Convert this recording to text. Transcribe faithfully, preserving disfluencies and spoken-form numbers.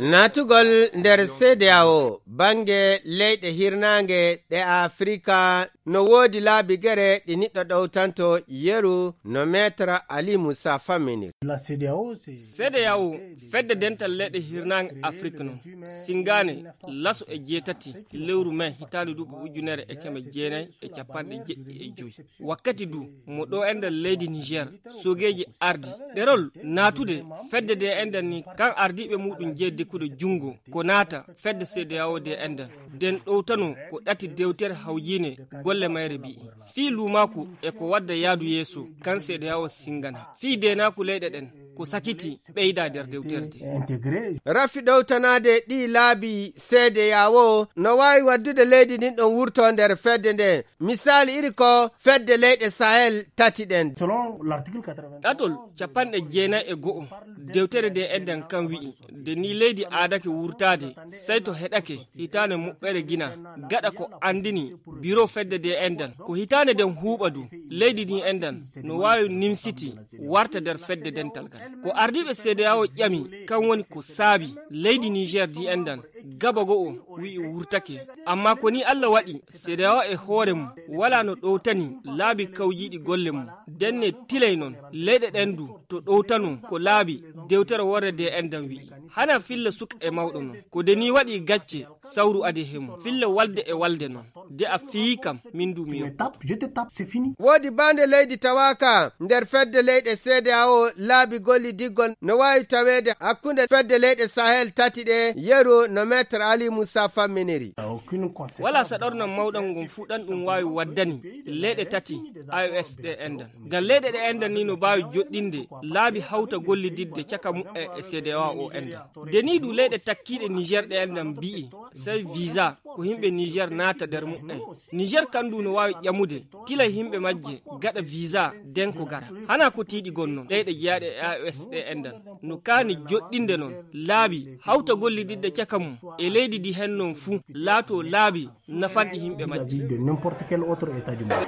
Naatugol nder C D A O, bannge leyɗe hirnaange ɗe Afrika, no woodi laabi gere ɗi niɗɗo ɗowtanto yeru no Maître Ali Moussa Famini. C D A O, fedde dental leyɗe hirnaange Afrik non, singaane laso e jeetati lewru mai hitaande duuɓi ujunere e keme jeenayi e capanɗe jeɗɗi e joyi. Wakkati du mo ɗo enɗan leydi Niger, sogeeji ardi ɗerol naatude fedde de enɗan ni, kan ardiiɓe muɗum jeyi dekude junngo ko naata fedde C D A O de enɗan. Den ɗowtano ko ɗati dewtere hawjiine golle mayre bi'i. Fii luumaaku e ko wadda yaadu yeeso kan C D A O singana. Fii deenaaku leyɗe ɗen ko sakiti ɓeyda nder dewtere de. Rafi ɗowtanaade ɗi laabi C D A O no waawi waddude leydi ndin ɗon wurto nder fedde nde. Misaali iri ko fedde leyɗe Sahel tati ɗen. Ɗatol capanɗe jeenayi e go'o dewtere de enɗan kan wi'i, nde ni leydi aadake wurtaade, sey to heɗake hitaande muɓɓere gina, gaɗa ko anndini biro fedde de enɗan. Ko hitaande den huuɓa du, leydi ndin enɗan no waawi nimsiti warta nder fedde dental ngal. Ko ardiiɓe C D A O ƴami, kan woni ko saabi leydi Niger di enɗan gaba go'o wi'i wurtake. Amma ko ni Alla waɗi, C D A O e hoore mum walaa no ɗowtani laabi kawjiiɗi golle mum. Denne tilay non, leyɗe ɗen du to ɗowtano ko laabi dewtere worre de enɗan wi'i. Hana filla suka e mawɗo non. Ko de ni waɗi gacce, sawru adi he mum. Filla walde e walde non. De a fiyi kam, min du mi yoppa. Woodi baande leydi tawaaka nder fedde leyɗe C D A O laabi gollidiggol no waawi taweede hakkunde fedde leyɗe Sahel tati ɗe, yeru no Maître Ali Moussa famminiri. Wala saɗornan mawɗan ngon fuu ɗan ɗum waawi waddani leyɗe tati A E S ɗe enɗan. Ngam leyɗe ɗe enɗan ni no mbaawi joɗɗinde laabi hawta gollididde caka muɓɓen e C D A O enɗan. De ni du leyɗe takkiiɗe Niger ɗe enɗan mbi'i, sey visa ko yimɓe Niger naata nder muɓɓen. Niger kan du no waawi ƴamude tila yimɓe majje gaɗa visa den ko gara. Hana ko tiiɗi gonno leyɗe jeyaaɗe e A E S ɗe enɗan. No kaani joɗɗinde non laabi hawta gollididde caka mum e leydi di hen non fuu laato laabi nafanɗi yimɓe majje. De n'importe quel autre état du monde.